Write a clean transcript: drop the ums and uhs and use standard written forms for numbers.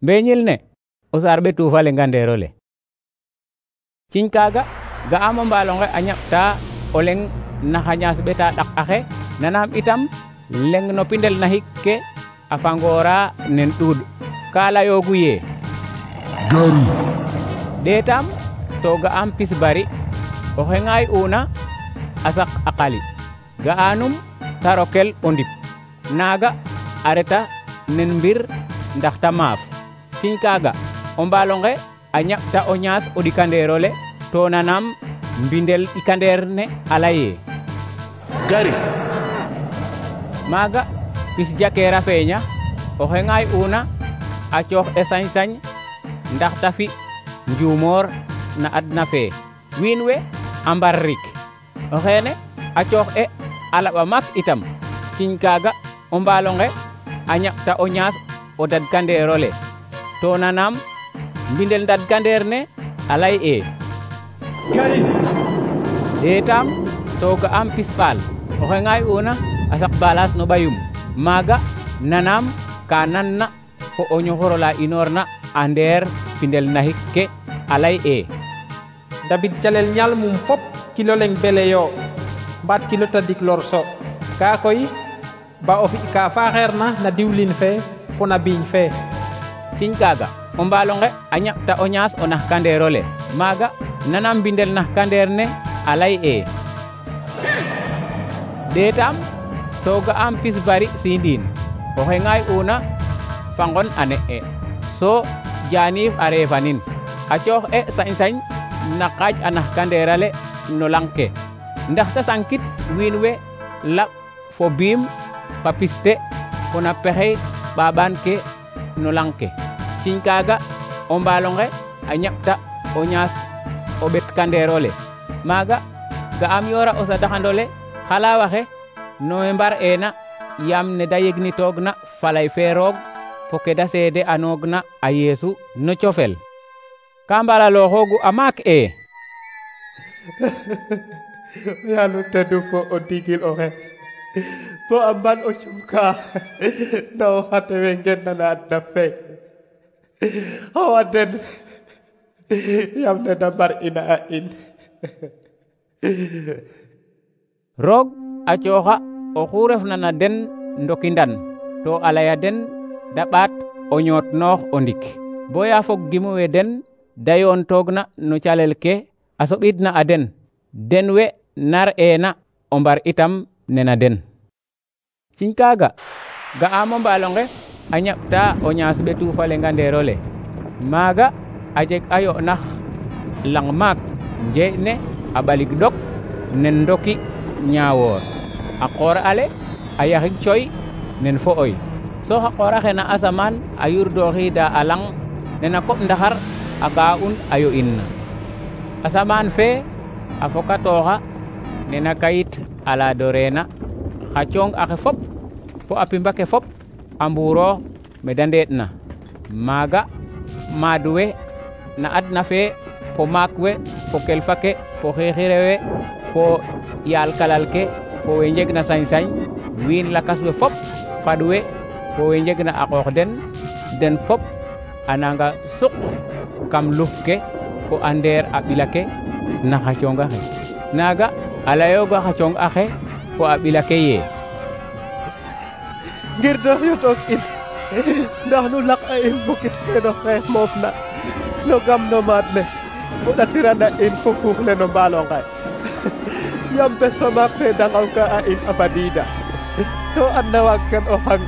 Mbeñil ne o saar ɓetu fa lenga ndeerole. Ciñ kaaga ga'aam o mbaalonge a ñaɓta o leŋ na xa ñaas ɓeta ɗak axe, nanaam itam leŋ no pindel naxik ke a fangoora nen ɗuuɗ. Ka layoogu yee gari. Ɗeetaam to ga'aam pis bari, oxe ŋaay'una a saq a qali. Ga'anum ta rokel o ndip, naaga a reta nen mbir ndax ta maaf. Ciñ kaaga o mbaalonge a ñaɓta o ñaas o ɗikandeerole, to nanaam mbindel ɗikandeer ne a layee gari. Maaga pis jakeer a feeña, oxe ŋaay'una a coox e sañ-sañ ndax ta fi njuumoor na adna fee. Wiin we a mbar rik, o xeene a coox e a laɓa maak itam. Ciñ kaaga o mbaalonge a ñaɓta o ñaas o dadkandeerole, to nanaam mbindel dadkandeer ne a lay'ee gari. Ɗeetaam to ga'aam pis ɓaal, oxe ŋaay'una a saq balaas no ɓayum. Maaga nanaam ka nanna fo o ñoxor ola inoorna a ndeer pindel naxik ke a lay'ee David calel ñaal mum fop kilo leŋ bele yo, mbaat kilo tadik lorso. Kaa koy ba o fi ka faaxeerna na diwlin fe fo na biiñ fe. Ciñ kaaga o mbaalonge a ñaɓta o ñaas o naxkandeerole. Maaga nanaam mbindel naxkandeer ne a lay'ee Ɗeetaam to ga'aam pis bari siindiin, oxe ŋaay'una fa ngon a ne'e, so jaaniif a reefanin. A coox e sañ-sañ na qaaj a naxkandeerale no lang ke, ndax ta sankit wiin we laɓ fo biim fa piste fo na pexey ɓaaɓaan ke no lang ke. Ciñ kaaga o mbaalonge a ñaɓta o ñaas o ɓetkandeerole. Maaga ga'aam yoora o sadaxandole xalaawaxe no we mbar eena yaam ne da yegnitoogna falay fe roog fo ke da seede anoogna a Yeesu no cofel. Ka mbalalooxoogu a maak Yaalu teddu fo o ndigil oxe bo a mban o cunka na o xate we ngenna na adna fe xawa den yaam ne da mbar ina a in. Roog a cooxa oxu refna na den ndoki ndan, to a laya den da ɓaat o ñootnoox o ndik, boya fog gimu we den da yoontoogna no calel ke a soɓidna a den, den we nar eena o mbar itam nena den. Ciñ kaaga ga'aam o mbaalonge a ñaɓta o ñaas ɓetu fa lenga ndeerole. Maaga a jeg a yo'nax lang maak njeeƴ ne a ɓalik ɗok nen ndoki ñaawoor. A qoor ale a yaxig coy nen fo'oy, so xa qoor axe na asamaan a yurdooxiida a lang nena koɓ ndaxar a ga'un a yo'inna. Asamaan fe a fokatooxa nena kayit a laadoreena, xa cooŋ axe fop fo a pimba ke fop a mbuuroox me da ndeeɗna. Maaga maad we na adna fe fo maak we fo kelfa ke fo xiixire we fo yaal kalal ke fo we njegna sañ-sañ, wiin lakas we fop fad we fo we njegna a qoox den fop a nanga suq kam luf ke fo a ndeer a ɓila ke na xa cooŋ axe. Naaga a layooga xa cooŋ axe fo a ɓila ke yee ngir do yotoog in ndax nu laq a in bukit feeno xe moof na no gam no maad le o ɗatirana in fo fuux le no mbaalonge yaam bes fa maak fe dangaw ka a in a fadiida to adna waag kan o xang